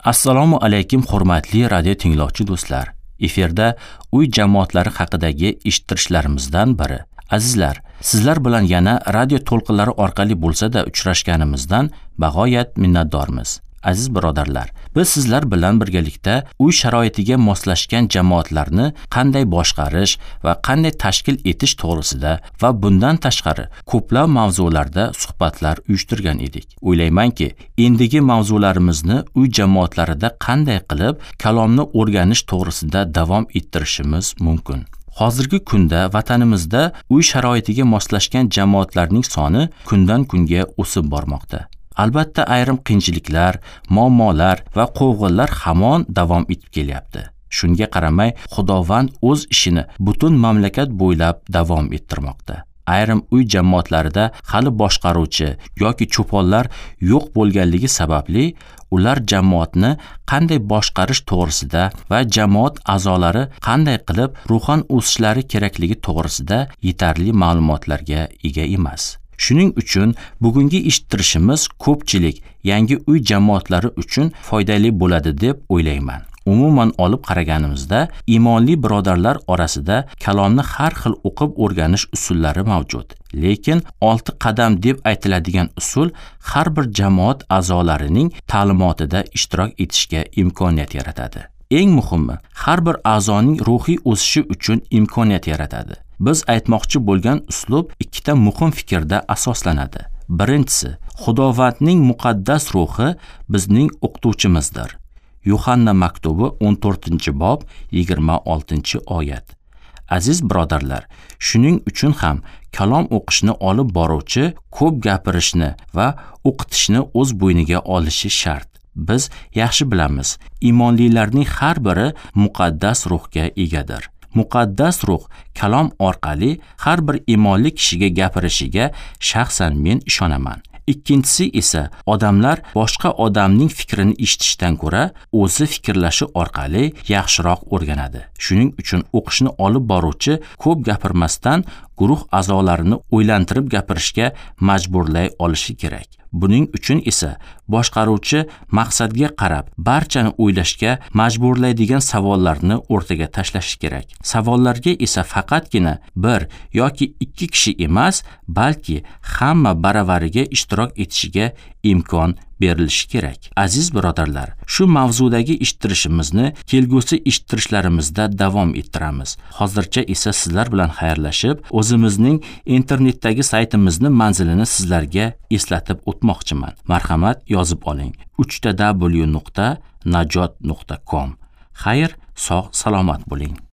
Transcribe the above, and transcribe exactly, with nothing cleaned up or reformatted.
Assalomu alaykum hurmatli radio tinglovchi do'stlar. Efirda uy jamoatlari haqidagi eshittirishlarimizdan biri. Azizlar, sizlar bilan yana radio to'lqinlari orqali bo'lsa-da uchrashganimizdan bag'oyat minnatdormiz. Aziz birodarlar, biz sizlar bilan birgalikda uy sharoitiga moslashgan jamoatlarni qanday boshqarish va qanday tashkil etish to'g'risida va bundan tashqari ko'plab mavzularda suhbatlar uyushtirgan edik. O'ylaymanki, endigi mavzularimizni uy jamoatlarida qanday qilib kalomni o'rganish to'g'risida davom ettirishimiz mumkin. Hozirgi kunda vatanimizda uy sharoitiga moslashgan jamoatlarning soni kundan kunga o'sib bormoqda. Albatta ayrim qiyinchiliklar, muammolar va quvg'inlar hamon davom etib kelyapti. Shunga qaramay, Xudovand o'z ishini butun mamlakat bo'ylab davom ettirmoqda. Ayrim uy jamoatlarida hali boshqaruvchi yoki cho'ponlar yo'q bo'lganligi sababli ular jamoatni qanday boshqarish to'g'risida va jamoat a'zolari qanday qilib ruhan o'sishlari kerakligi to'g'risida yetarli ma'lumotlarga ega emas. Shuning uchun bugungi eshittirishimiz ko'pchilik yangi uy jamoatlari uchun foydali bo'ladi deb o'ylayman. Umuman olib qaraganimizda, iymonli birodarlar orasida kalomni har xil o'qib o'rganish usullari mavjud. Lekin olti qadam deb aytiladigan usul har bir jamoat a'zolarining ta'limotida ishtirok etishga imkoniyat yaratadi. Eng muhimi, har bir a'zoning ruhiy o'sishi uchun imkoniyat yaratadi. Biz aytmoqchi bo'lgan uslub ikkita muhim fikrda asoslanadi. Birinchisi, Xudovandning muqaddas ruhi bizning o'qituvchimizdir. Yuhanna maktubi o'n to'rtinchi bob yigirma oltinchi oyat. Aziz birodarlar, shuning uchun ham kalom o'qishni olib boruvchi ko'p gapirishni va o'qitishni o'z bo'yniga olishi shart. Biz yaxshi bilamiz, iymonlilarning har biri muqaddas ruhga egadir. Muqaddas ruh kalom orqali har bir iymonli kishiga gapirishiga shaxsan men ishonaman. Ikkinchisi esa odamlar boshqa odamning fikrini eshitishdan ko'ra o'zi fikrlashi orqali yaxshiroq o'rganadi. Shuning uchun o'qishni olib boruvchi ko'p gapirmasdan guruh a'zolarini o'ylantirib gapirishga majburlay olishi kerak. Buning uchun esa boshqaruvchi maqsadga qarab barchani o'ylashga majburlaydigan savollarni o'rtaga tashlashi kerak. Savollarga esa faqatgina bir yoki ikki kishi emas, balki hamma baravariga ishtirok etishiga imkon berilishi kerak. Aziz birodarlar, shu mavzudagi eshittirishimizni kelgusi eshittirishlarimizda davom ettiramiz. Hozircha esa sizlar bilan xayrlashib, o'zimizning internetdagi saytimizni manzilini sizlarga eslatib o'tmoqchiman. Marhamat, yozib oling: uch ta w nuqta najot nuqta com. Xayr, sog' salomat bo'ling.